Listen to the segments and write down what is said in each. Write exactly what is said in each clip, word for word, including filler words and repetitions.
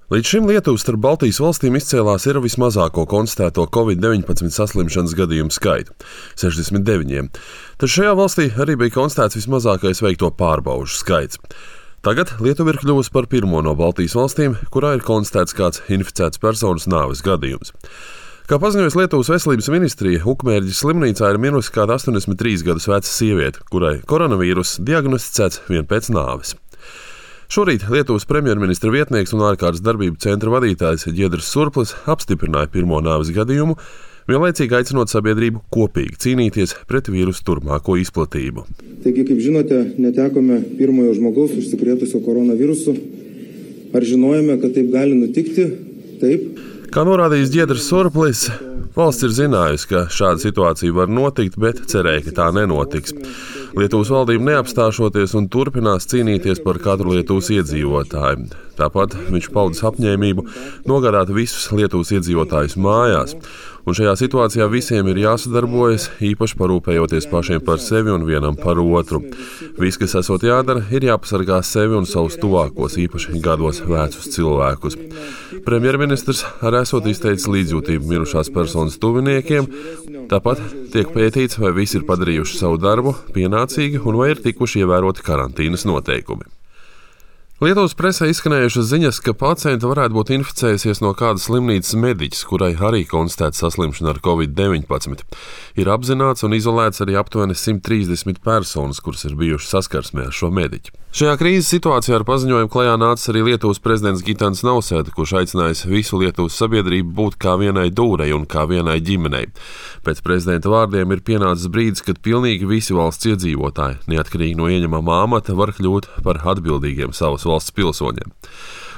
Līdz šim Lietuva starp Baltijas valstīm izcēlās ar vismazāko konstatēto covid deviņpadsmit saslimšanas gadījumu skaitu - sešdesmit deviņi. Taču šajā valstī arī bija konstatēts vismazākais veikto pārbaužu skaits. Tagad Lietuva ir kļuvusi par pirmo no Baltijas valstīm, kurā ir konstatēts kāds inficēts personas nāves gadījums. Kā paziņojas Lietuvas veselības ministrija, Ukmērģes slimnīcā ir mirusi kāda astoņdesmit trīs gadus veca sieviete, kurai koronavīruss diagnosticēts vien pēc nāves. Šorīt Lietuvas premjerministra vietnieks un ārkārtas darbību centra vadītājs Ģiedrs Surplis apstiprināja pirmo nāves gadījumu, vienlaicīgi aicinot sabiedrību kopīgi cīnīties pret vīrusu turpmāko izplatību. Taigi, kaip žinote, netekome pirmojo žmogaus užsikrėtusio koronavirusu. Ar žinojome, kad taip gali nutikti? Taip. Kā norādījis Ģiedrs Surplis, valsts ir zinājusi, ka šāda situācija var notikt, bet cerēja, ka tā nenotiks. Lietuvas valdība neapstāšoties un turpinās cīnīties par katru Lietuvas iedzīvotāju. Tāpat viņš paudis apņēmību nogādāt visus Lietuvas iedzīvotājus mājās. Un šajā situācijā visiem ir jāsadarbojas, īpaši parūpējoties pašiem par sevi un vienam par otru. Viss, kas esot jādara, ir jāpasargā sevi un savus tuvākos, īpaši gados vecus cilvēkus. Premjerministrs arī esot izteicis līdzjūtību mirušās personas tuviniekiem. Tāpat tiek pētīts, vai visi ir padarījuši savu darbu pienācīgi un vai ir tikuši ievēroti karantīnas noteikumi. Lietuvas presē izskanējušas ziņas, ka pacienta varētu būt inficējusies no kādas slimnīcas mediķis, kurai arī konstatēta saslimšana ar covid deviņpadsmit. Ir apzināts un izolēts arī aptuveni simt trīsdesmit personas, kuras ir bijušas saskarsmē ar šo mediķi. Šajā krīzes situācijā ar paziņojumu klajā nācis arī Lietuvas prezidents Gitanas Nausēda, kurš aicinājis visu Lietuvas sabiedrību būt kā vienai dūrei un kā vienai ģimenei. Pēc prezidenta vārdiem ir pienācis brīdis, kad pilnīgi visi valsts iedzīvotāji, neatkarīgi no ieņemamā amata, var kļūt par atbildīgiem savas valsts pilsoņiem.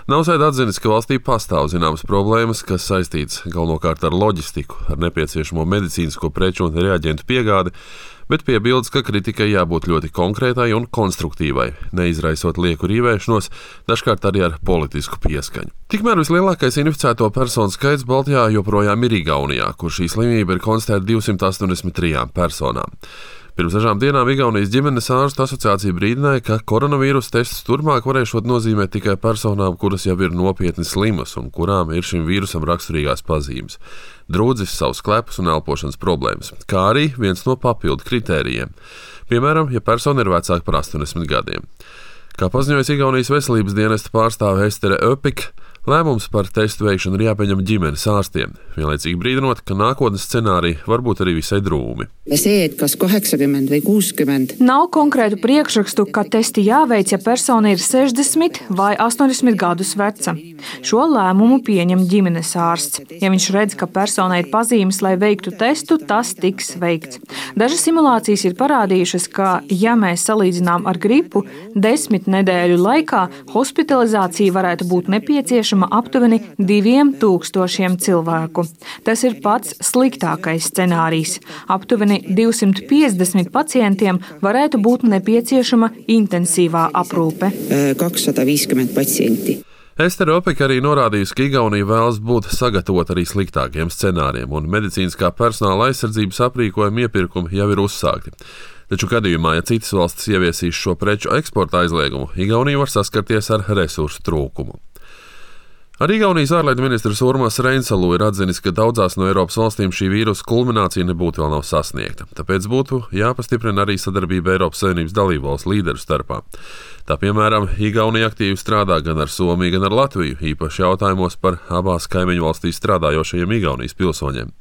Nausēda atzinis, ka valstī pastāv zināmas problēmas, kas saistītas galvenokārt ar loģistiku, ar nepieciešamo medicīnisko preču un reaģentu piegādi, bet piebildes, ka kritikai jābūt ļoti konkrētai un konstruktīvai, neizraisot lieku rīvēšanos, dažkārt arī ar politisku pieskaņu. Tikmēr vislielākais inficēto personu skaits Baltijā joprojām ir Igaunijā, kur šī slimība ir konstatēta divsimt astoņdesmit trijām personām. Pirms dažām dienām Igaunijas ģimenes ārstu asociācija brīdināja, ka koronavīrusa testus turpmāk varēšot nozīmēt tikai personām, kuras jau ir nopietni slimas un kurām ir šim vīrusam raksturīgās pazīmes - drūdzis, savas klepus un elpošanas problēmas, kā arī viens no papildu kritērijiem. Piemēram, ja persona ir vecāka par astoņdesmit gadiem. Kā paziņojas Igaunijas veselības dienesta pārstāve Estere Öpik, lēmums par testu veikšanu ir jāpieņem ģimenes ārstiem, vienlaicīgi brīdinot, ka nākotnes scenāriji var būt arī visai drūmi. See, kas kaheksakümmend vai kuuskümmend. Nav konkrētu priekšrakstu, ka testi jāveic, ja persona ir sešdesmit vai astoņdesmit gadus veca. Šo lēmumu pieņem ģimenes ārsts. Ja viņš redz, ka personai ir pazīmes, lai veiktu testu, tas tiks veikts. Dažas simulācijas ir parādījušas, ka, ja mēs salīdzinām ar gripu, desmit nedēļu laikā hospitalizācija varētu būt nepieciešama aptuveni diviem tūkstošiem cilvēku. Tas ir pats sliktākais scenārijs. Aptuveni divsimt piecdesmit pacientiem varētu būt nepieciešama intensīvā aprūpe. kakssada viiskümmend patsienti. Estere Öpik arī norādījusi, ka Igaunija vēlas būt sagatavota arī sliktākiem scenārijiem, un medicīniskā personāla aizsardzības aprīkojuma iepirkumi jau ir uzsākti. Taču gadījumā, ja citas valstis ieviesīs šo preču eksporta aizliegumu, Igaunija var saskarties ar resursu trūkumu. Arī Igaunijas ārlietu ministrs Urmas Reinsalu ir atzinis, ka daudzās no Eiropas valstīm šī vīrusa kulminācija nebūtu vēl nav sasniegta. Tāpēc būtu jāpastiprina arī sadarbība Eiropas Savienības dalībvalstu līderu starpā. Tā piemēram, Igaunija aktīvi strādā gan ar Somiju, gan ar Latviju, īpaši jautājumos par abās kaimiņu valstīs strādājošajiem Igaunijas pilsoņiem.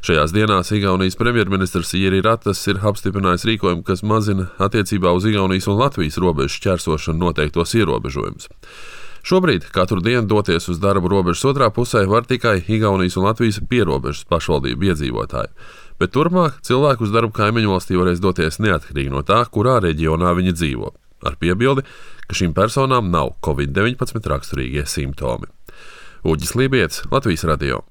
Šajās dienās Igaunijas premjerministrs Jiri Ratas ir apstiprinājis rīkojumu, kas mazina attiecībā uz Igaunijas un Latvijas robežu šķērsošanu noteiktos ierobežojumus. Šobrīd katru dienu doties uz darbu robežas otrā pusē var tikai Igaunijas un Latvijas pierobežas pašvaldību iedzīvotāji, bet turpmāk cilvēku uz darbu kaimiņu valstī varēs doties neatkarīgi no tā, kurā reģionā viņi dzīvo, ar piebildi, ka šīm personām nav covid deviņpadsmit raksturīgie simptomi. Uģis Lībietis, Latvijas radio.